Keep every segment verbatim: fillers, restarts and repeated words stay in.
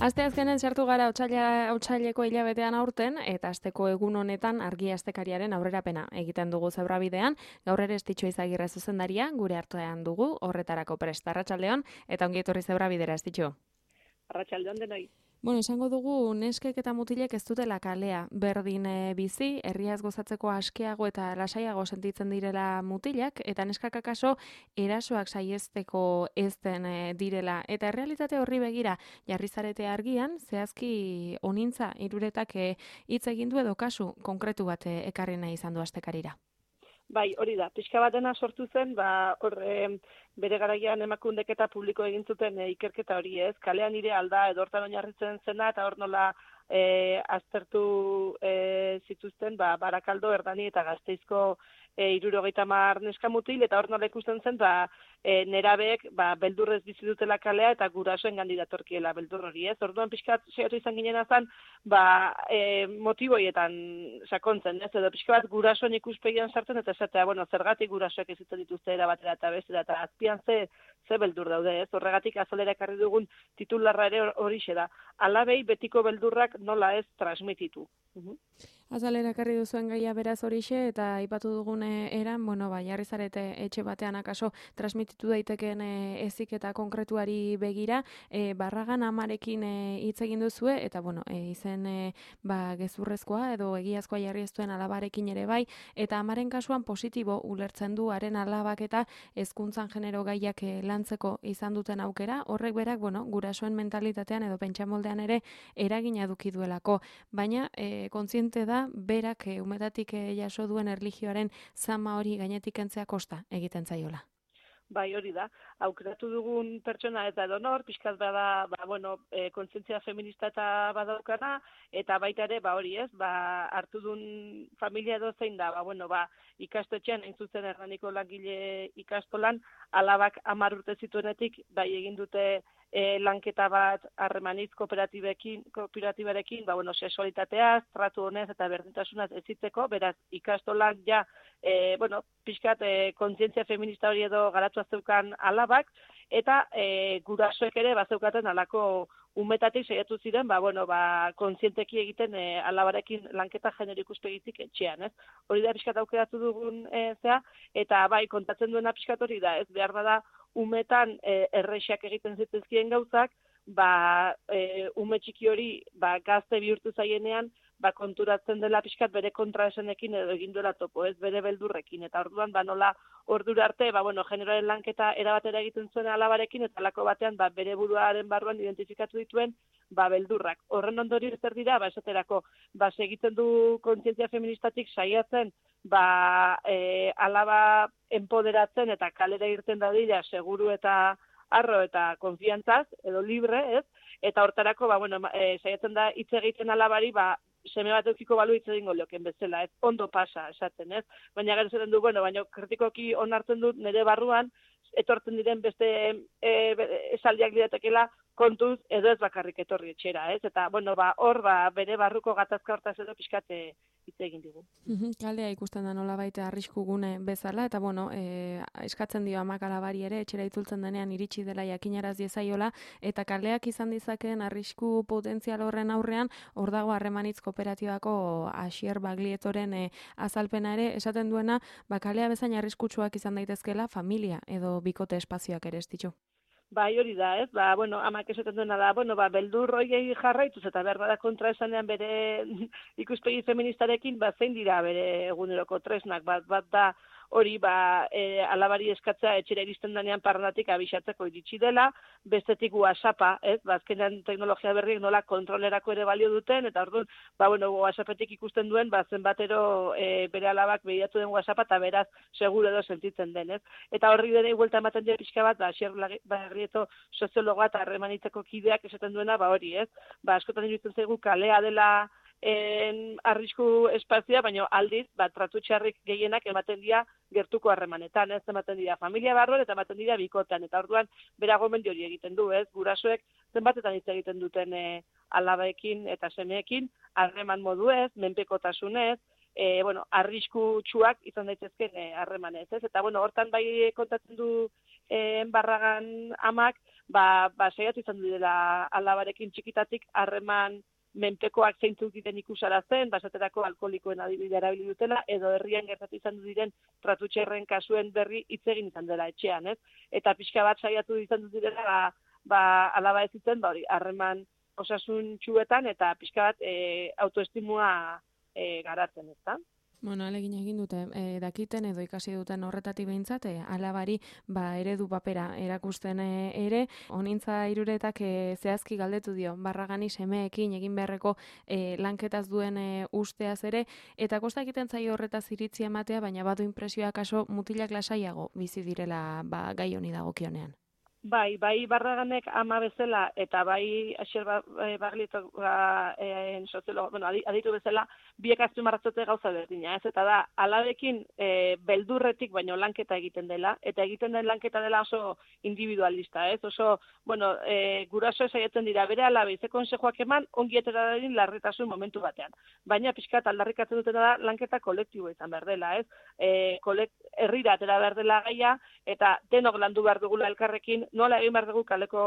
Asteazkenen sartu gara otsaila otsaileko hilabetean aurten eta asteko egun honetan argi astekariaren aurrerapena egiten dugu Zebrabidean. Gaur ere Estitxo Izagirre zuzendaria gure artean dugu horretarako prest. Arratsaldeon eta ongi etorri Zebrabidera, Estitxo. Arratsaldeon denoi. Bueno, esango dugu neskek eta mutilek ez dutela kalea berdin e, bizi, herriaz gozatzeko askeago eta lasaiago sentitzen direla mutilak, eta neskak akaso erasoak saiesteko ez den e, direla. Eta errealitate horri begira jarri zarete argian, zehazki onintza hiruretak e, hitz egin du edo kasu konkretu bat e, ekarri nahi izan du astekarira. Bai, hori da. Pixka batena sortu zen, ba, hor, e, bere garaian emakundek eta publiko egin zuten e, ikerketa hori ez. Kalean nire alda edo hortan oinarritzen zena eta hor nola e, aztertu e, zituzten, ba, Barakaldo, Erdani eta Gasteizko e, hirurogeita hamar neska mutil, eta hor nola ikusten zen, ba, e, nerabeek ba, beldurrez bizi dutela kalea eta gurasoen gandik datorkiela beldur hori ez. Orduan pixkat saiatu izan ginen azan, ba, e, motiboietan sakontzen, ez, edo pixka bat gurasoen ikuspegian sartzen eta esatea, bueno, zergatik gurasoek ez zuten dituzte era batera eta bestera, eta azpian ze, ze beldur daude, ez, horregatik azalera ekarri dugun titularra ere horixe da, alabei betiko beldurrak nola ez transmititu. Uhum. Azalera ekarri duzuen gaia beraz horixe eta aipatu dugun eran, bueno, ba, jarri zarete etxe batean akaso transmititu daitekeen ezik eta konkretuari begira, e, Barragan amarekin hitz egin duzue eta bueno, e, izen e, ba, gezurrezkoa edo egiazkoa jarri ez duen alabarekin ere bai, eta amaren kasuan positibo ulertzen du haren alabak eta hezkuntzan genero gaiak e, lantzeko izan duten aukera, horrek berak, bueno, gurasoen mentalitatean edo pentsamoldean ere eragina eduki duelako, baina e, kontziente da berak e, umetatik e, jaso duen erlijioaren zama hori gainetik kentzea kosta egiten zaiola. Bai, hori da. Aukeratu dugun pertsona eta edonor, pixkat bada, ba, bueno, e, kontzientzia feminista eta badaukana, eta baita ere, ba, hori ez, ba, hartu duen familia edo zein da, ba, bueno, ba, ikastetxean, hain zuzen Hernaniko langile ikastolan, alabak hamar urte zituenetik, bai egin dute e, lanketa bat harremanitz kooperatibekin, kooperatibarekin, ba, bueno, sexualitateaz, tratu honez eta berdintasunaz ezitzeko, beraz, ikastolan ja, e, bueno, pixkat e, kontzientzia feminista hori edo garatu azeukan alabak, eta e, gurasoek ere bazeukaten alako umetatik saiatu ziren, ba, bueno, ba, kontzienteki egiten e, alabarekin lanketa genero ikuspegitik etxean, ez? Hori da pixkat aukeratu dugun e, zea, eta bai, kontatzen duena pixkat hori da, ez behar bada umetan e, errexak egiten zitezkien gauzak, ba, e, ume txiki hori ba, gazte bihurtu zaienean, ba, konturatzen dela pixkat bere kontraesenekin edo egin duela topo, ez bere beldurrekin, eta orduan, ba, nola ordura arte, ba, bueno, generoaren lanketa erabatera egiten zuen alabarekin, eta alako batean, ba, bere buruaren barruan identifikatu dituen, ba, beldurrak. Horren ondorio zer dira, ba, esaterako, ba, segiten du kontzientzia feministatik saiatzen, ba, e, alaba empoderatzen eta kalera irten dadila seguru eta arro eta konfiantzaz, edo libre, ez? Eta hortarako, ba, bueno, e, saiatzen da hitz egiten alabari, ba, seme bat eukiko balu hitz egingo lioken bezala, ez? Ondo pasa, esaten, ez? Baina gero zaten du, bueno, baina kritikoki onartzen dut nire barruan, etortzen diren beste e, esaldiak diratekela kontuz edo ez bakarrik etorri etxera, ez? Eta, bueno, ba, hor, ba, bere barruko gatazka hortaz edo pixkate hitz egin digu. Kalea ikusten da nola baita arrisku gune bezala, eta bueno, e, eskatzen dio amak alabari ere, etxera itzultzen denean iritsi dela jakinaraz diezaiola, eta kaleak izan dizakeen arrisku potentzial horren aurrean, hor dago harremanitz kooperatibako Asier Baglietoren e, azalpena ere, esaten duena, ba, kalea bezain arriskutsuak izan daitezkela familia edo bikote espazioak ere, Estitxo. Bai, hori da, ez? Ba, bueno, amak esaten duena da, bueno, ba, beldur hoiei jarraituz eta behar bada kontra esanean bere ikuspegi feministarekin, ba, zein dira bere eguneroko tresnak, bat, bat da, hori, ba, e, alabari eskatzea etxera iristen denean parrandatik abixatzeko iritsi dela, bestetik WhatsAppa, ez? Ba, azkenean teknologia berriek nola kontrolerako ere balio duten, eta orduan, ba, bueno, WhatsAppetik ikusten duen, ba, zenbatero e, bere alabak begiratu den WhatsAppa, eta beraz, seguro edo sentitzen den, ez? Eta horri dene buelta ematen dira pixka bat, ba, Asier Baglietto soziologoa eta harremanitzeko kideak esaten duena, ba, hori, ez? Ba, askotan iruditzen zaigu kalea dela en arrisku espazioa, baina aldiz, bat tratu txarrik gehienak ematen dira gertuko harremanetan, ez ematen dira familia barruan eta ematen dira bikotan, eta orduan bera gomendio hori egiten du, ez, gurasoek zenbatetan hitz egiten duten e, alabaekin eta semeekin, harreman modu ez, menpekotasunez, e, bueno, arrisku txuak izan daitezken harremanez, ez, eta bueno, hortan bai kontatzen du e, Barragan amak, ba, ba saiatu izan direla alabarekin txikitatik harreman menpekoak zeintzuk diren ikusarazten, basaterako alkoholikoen adibidea erabili dutela, edo herrian gertatu izan diren tratu txarren kasuen berri hitz egin izan dela etxean, ez? Eta pixka bat saiatu izan direla, ba, ba alaba ez zuten, ba hori, harreman osasun txuetan, eta pixka bat e, autoestimua e, garatzen, ezta? Bueno, alegin egin dute, e, dakiten edo ikasi duten horretatik behintzat, e, alabari ba, eredu papera erakusten e, ere, honintza hiruretak e, zehazki galdetu dio, Barragani semeekin egin beharreko e, lanketaz duen e, usteaz ere, eta kosta egiten zaio horretaz iritzi ematea, baina badu inpresioa kaso mutilak lasaiago bizi direla ba, gai honi dagokionean. Bai, bai Barraganek ama bezala eta bai Asier Baglitok ba, e, soziologo, bueno, aditu bezala, biek azpimarratute gauza berdina, ez? Eta da, alabekin e, beldurretik baino lanketa egiten dela, eta egiten den lanketa dela oso individualista, ez? Oso, bueno, e, guraso saiatzen dira bere alabe, ze konsejoak eman, ongi etera dadin larritasun momentu batean. Baina pixkat aldarrikatzen dutena da lanketa kolektibo izan behar dela, ez? E, kolekt, herrira atera behar dela gaia, eta denok landu behar dugula elkarrekin, nola egin behar dugu kaleko,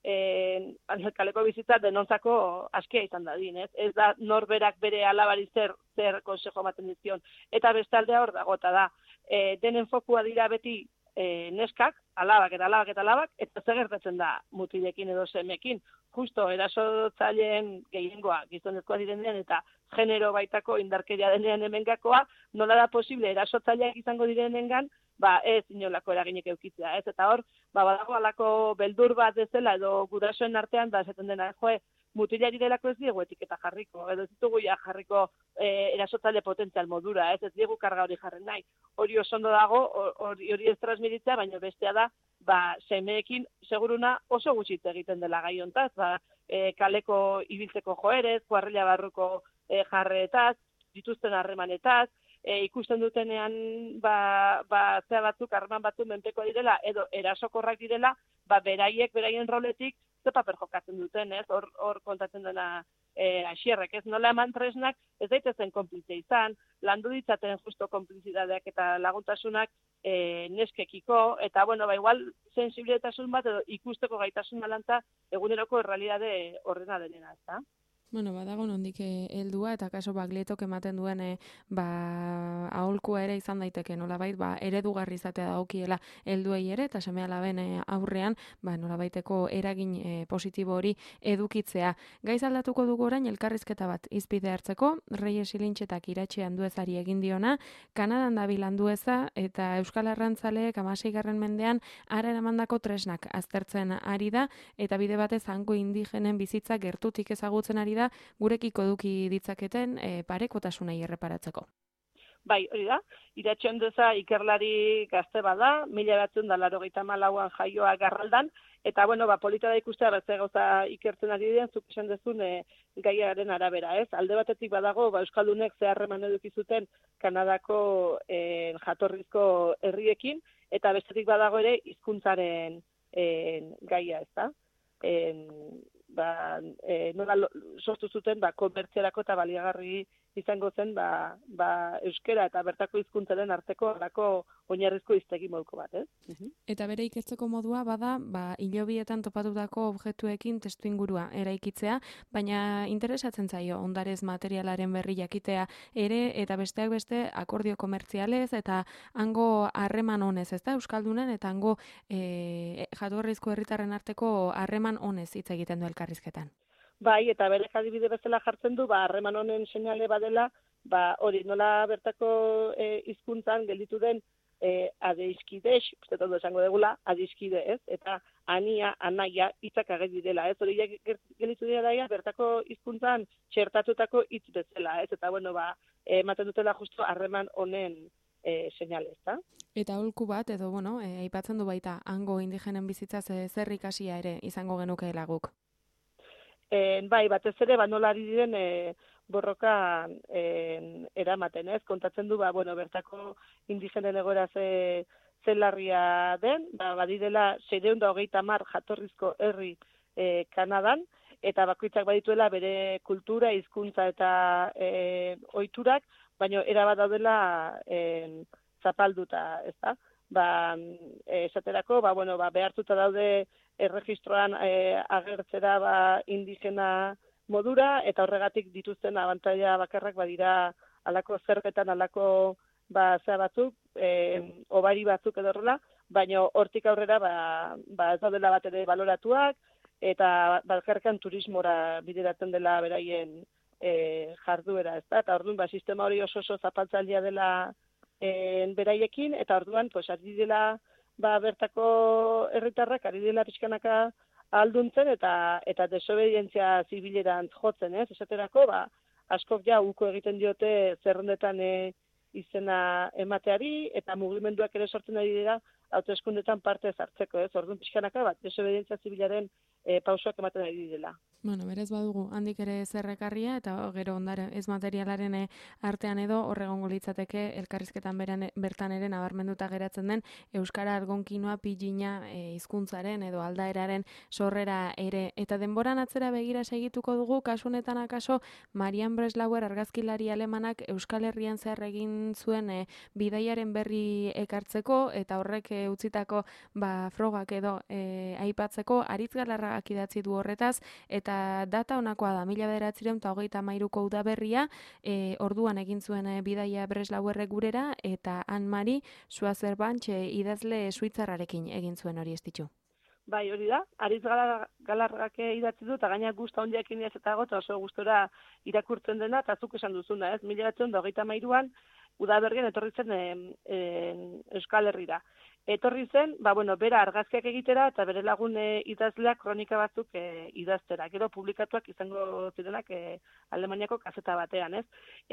eh, kaleko bizitza denontzako askia izan dadin, ez? Ez da norberak bere alabari zer, zer konsejo ematen dizkion. Eta bestaldea hor dago, eta da, eh, denen fokua dira beti eh, neskak, alabak eta alabak eta alabak, eta zer gertatzen da mutilekin edo semekin. Justo erasotzaileen gehiengoa gizonezkoa direnean eta genero baitako indarkeria denean hemengakoa, nola da posible erasotzaileak izango direnengan, ba ez inolako eraginik eukitzea, ez? Eta hor, ba badago halako beldur bat bezala edo gurasoen artean da esaten dena, joe, mutilari delako ez diegu etiketa jarriko, edo ez ditugu ja jarriko e, erasotzaile potentzial modura, ez ez diegu karga hori jarren nahi. Hori oso ondo dago, hori hori ez transmititzea, baina bestea da, ba semeekin seguruna oso gutxi egiten dela gai hontaz, ba e, kaleko ibiltzeko joerez, kuarrilla barruko e, jarreetaz, dituzten harremanetaz, E, ikusten dutenean ba, ba, zea batzuk, harreman batzuk menpeko direla, edo erasokorrak direla, ba, beraiek, beraien roletik, ze paper jokatzen duten, ez? Hor, hor kontatzen dena e, Asierrek, ez? Nola eman tresnak, ez daitezen konplize izan, landu ditzaten justo konplizidadeak eta laguntasunak e, neskekiko, eta, bueno, ba, igual, sensibilitasun bat, edo ikusteko gaitasun alantza, eguneroko errealidade horrena denena, ez da? Bueno, badago nondik heldua eta kaso Baglietok ematen duen e, ba aholkua ere izan daiteke, nolabait ba eredugarri izatea dagokiela helduei ere eta seme-alaben e, aurrean, ba nolabaiteko eragin e, positibo hori edukitzea. Gaiz aldatuko dugu orain elkarrizketa bat izpide hartzeko, Reyes Ilintxetak iratxean duezari egin diona, Kanadan dabil Andueza eta Euskal Arrantzaleek hamaseigarren mendean hara eramandako tresnak aztertzen ari da eta bide batez hango indigenen bizitza gertutik ezagutzen ari da gurekiko eduki ditzaketen e, parekotasunei erreparatzeko. Bai, hori da, Iratxe Andueza ikerlari gazte bada, mila bederatziehun eta laurogeita hamalauan jaioa Garraldan, eta bueno, ba, polita da ikustea beste gauza ikertzen ari diren, zuk esan dezun e, gaiaren arabera, ez? Alde batetik badago, ba, Euskaldunek ze harreman eduki zuten Kanadako e, jatorrizko herriekin, eta bestetik badago ere hizkuntzaren e, gaia, ez da? E, ba, e, nola sortu zuten ba, komertziarako eta baliagarri izango zen ba, ba, euskera eta bertako hizkuntzaren arteko alako oinarrizko hiztegi moduko bat, ez? Uh-huh. Eta bere ikertzeko modua bada, ba, hilobietan topatutako objektuekin testuingurua eraikitzea, baina interesatzen zaio ondarez materialaren berri jakitea ere, eta besteak beste akordio komertzialez, eta hango harreman honez, ez da, Euskaldunen, eta hango e, jatorrizko herritarren arteko harreman honez hitz egiten du elkarrizketan. Bai, eta bere adibide bezala jartzen du, ba, harreman honen seinale badela, ba, hori nola bertako hizkuntzan e, gelditu den e, adeiskidex, uste todo esango degula, adeiskide, ez? Eta ania, anaia, hitzak ageri dela, ez? Hori gelditu dira daia, bertako hizkuntzan txertatutako hitz bezala, ez? Eta, bueno, ba, ematen dutela justo harreman honen e, seinale, ez da? Eta aholku bat, edo, bueno, e, aipatzen du baita, hango indigenen bizitzaz e, zer ikasia ere izango genukeela guk. E, bai, batez ere, ba, nola ari diren e, borroka e, eramaten, ez? Kontatzen du, ba, bueno, bertako indigenen egoera ze, ze larria den, ba, badirela seiehun eta hogeita hamar jatorrizko herri e, Kanadan, eta bakoitzak badituela bere kultura, hizkuntza eta e, ohiturak, baina erabat daudela e, zapalduta, ez da? ba, esaterako, ba, bueno, ba, behartuta daude erregistroan e, agertzera ba, indigena modura, eta horregatik dituzten abantaila bakarrak badira alako zergetan, alako ba, zea batzuk, e, obari batzuk edo horrela, baina hortik aurrera ba, ba ez daudela bat ere baloratuak, eta bakarkan turismora bideratzen dela beraien e, jarduera, ez da? Eta orduan, ba, sistema hori oso oso zapaltzailea dela e, beraiekin, eta orduan, pues, ari dela ba, bertako herritarrak, ari dela pixkanaka alduntzen, eta eta desobedientzia zibilerantz jotzen, ez? Esaterako, ba, askok ja uko egiten diote zerrendetan e, izena emateari, eta mugimenduak ere sortzen ari dira hauteskundetan parte hartzeko, ez? Orduan pixkanaka bat, desobedientzia zibilaren e, pausoak ematen ari direla. Bueno, berez badugu handik ere zerrekarria, eta gero ondare ez materialaren artean edo horregongo litzateke elkarrizketan beran, bertan ere nabarmenduta geratzen den euskara algonkinoa pilina e, hizkuntzaren edo aldaeraren sorrera ere. Eta denboran atzera begira segituko dugu, kasu honetan akaso Marian Breslauer argazkilari alemanak Euskal Herrian zer egin zuen e, bidaiaren berri ekartzeko, eta horrek e, utzitako ba, frogak edo e, aipatzeko Aritz Galarragak idatzi du horretaz, eta Eta data honakoa da, mila bederatziehun eta hogeita hamairuko udaberria, e, orduan egin zuen e, bidaia Breslauerrek gurera, eta Anne-Marie Schwarzbach e, idazle suitzarrarekin egin zuen hori ez ditu. Bai, hori da, Aritz Galarragak idatzi du, eta gaina guzta hondiakin ez eta gota oso gustora irakurtzen dena, eta zuk esan duzuna, ez? Mila bederatziehun eta hogeita hamairuan udaberrian etorri zen e, e, Euskal Herrira. Etorri zen, ba, bueno, bera argazkiak egitera eta bere lagun e, idazleak kronika batzuk e, idaztera. Gero publikatuak izango zirenak e, Alemaniako kazeta batean, ez?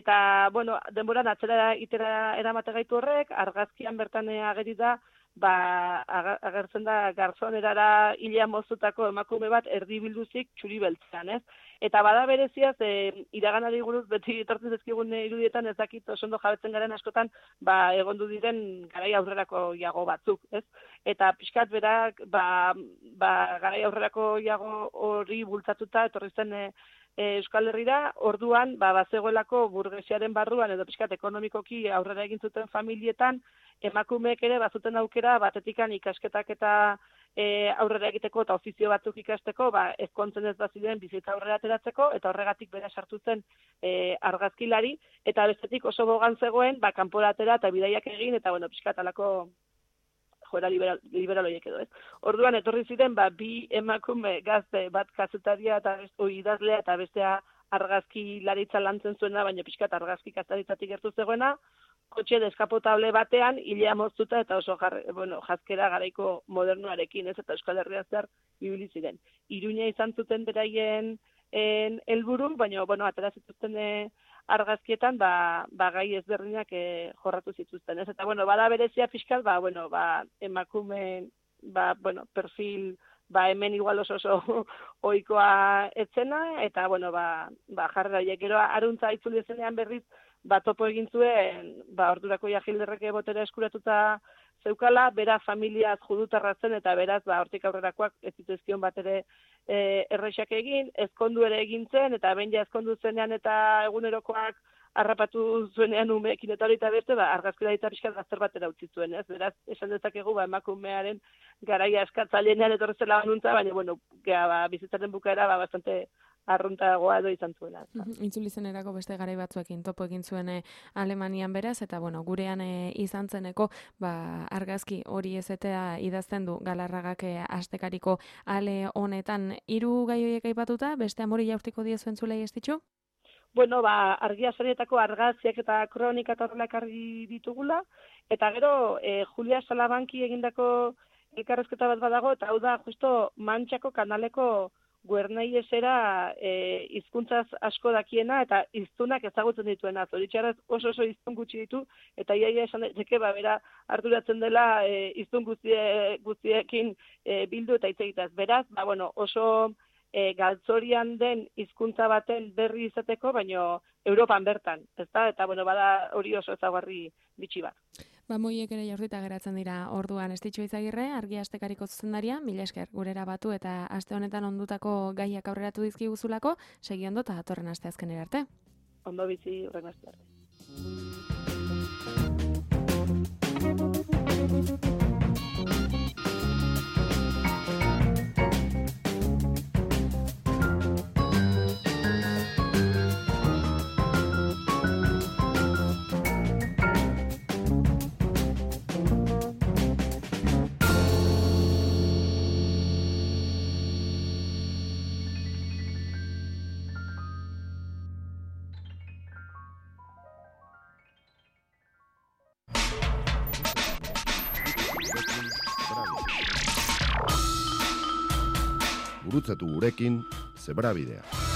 Eta, bueno, denboran atzera itera eramate gaitu horrek, argazkian bertan ageri da, ba, agertzen da garzonerara hilea moztutako emakume bat erdibilduzik txuri beltzean, ez? Eta bada bereziaz, e, iraganari buruz beti etortzen zezkigun irudietan ez dakit oso ondo jabetzen garen askotan, ba, egondu diren garai aurrerako iago batzuk, ez? Eta pixkat berak, ba, ba, garai aurrerako iago hori bultzatuta etorri zen e, e, Euskal Herrira, orduan, ba, bazegoelako burgesiaren barruan edo pixkat ekonomikoki aurrera egin zuten familietan, emakumeek ere bazuten aukera batetikan ikasketak eta e, aurrera egiteko eta ofizio batzuk ikasteko, ba, ezkontzen ez bazideen bizitza aurrera ateratzeko, eta horregatik bera sartu zen e, argazkilari, eta bestetik oso bogan zegoen, ba, kanpora atera eta bidaiak egin, eta, bueno, pixkat alako joera liberal, liberaloiek edo, ez. Orduan, etorri ziren, ba, bi emakume gazte bat kazetaria eta oi, idazlea eta bestea argazki laritza lantzen zuena, baina pixkat argazki kazaritzatik gertu zegoena, kotxe deskapotable batean, hilea moztuta eta oso jar, bueno, jazkera garaiko modernoarekin, ez, eta Euskal Herria zer ibili ziren. Iruña izan zuten beraien helburu, baina, bueno, atera zituzten e, argazkietan, ba, ba gai ezberdinak e, jorratu zituzten, ez, eta, bueno, bada berezia fiskat, ba, bueno, ba, emakume, ba, bueno, perfil, ba, hemen igual oso oso ohikoa etzena, eta, bueno, ba, ba jarrera, gero aruntza itzuli zenean berriz, ba, topo egin zuen, ba, ordurako Jagilderrek botera eskuratuta zeukala, bera familiaz judutarra zen, eta beraz, ba, hortik aurrerakoak ez zituzkion bat ere e, errexak egin, ezkondu ere egin zen, eta behin ja ezkondu zenean eta egunerokoak harrapatu zuenean umeekin eta hori eta beste, ba, argazkila eta pixkat gazter batera utzi zuen, ez? Beraz, esan dezakegu, ba, emakumearen garaia eskatzailenean etorrezela banuntza, baina, bueno, gea, ba, bizitzaren bukaera, ba, bastante arruntagoa edo izan zuela. Itzuli zenerako beste garai batzuekin topo egin zuen e, Alemanian beraz, eta bueno, gurean e, izan zeneko ba, argazki hori ezetea idazten du Galarragak e, astekariko ale honetan. Hiru gai horiek aipatuta, beste amori jaurtiko diezuen zulei ez ditxu? Bueno, ba, argia sarietako argazkiak eta kronika eta horrela ekarri ditugula, eta gero e, Julia Salabanki egindako elkarrezketa bat badago, eta hau da justo Mantxako kanaleko Guernei esera e, hizkuntzaz asko dakiena eta hiztunak ezagutzen dituena. Zoritxarraz oso oso hiztun gutxi ditu eta iaia esan daiteke ba bera arduratzen dela e, hiztun guztie, guztiekin e, bildu eta hitz egitaz. Beraz, ba bueno, oso e, galtzorian den hizkuntza baten berri izateko, baino Europan bertan, ezta? Eta bueno, bada hori oso ezagarri bitxi bat. Ba, moiek ere jaurtita geratzen dira orduan. Estitxo Izagirre, Argia Astekariko zuzendaria, mila esker gurera batu eta aste honetan ondutako gaiak aurreratu dizkiguzulako, segi ondo eta datorren asteazkenera arte. Ondo bizi, horren aste arte. Gurutzatu gurekin, Zebrabidea.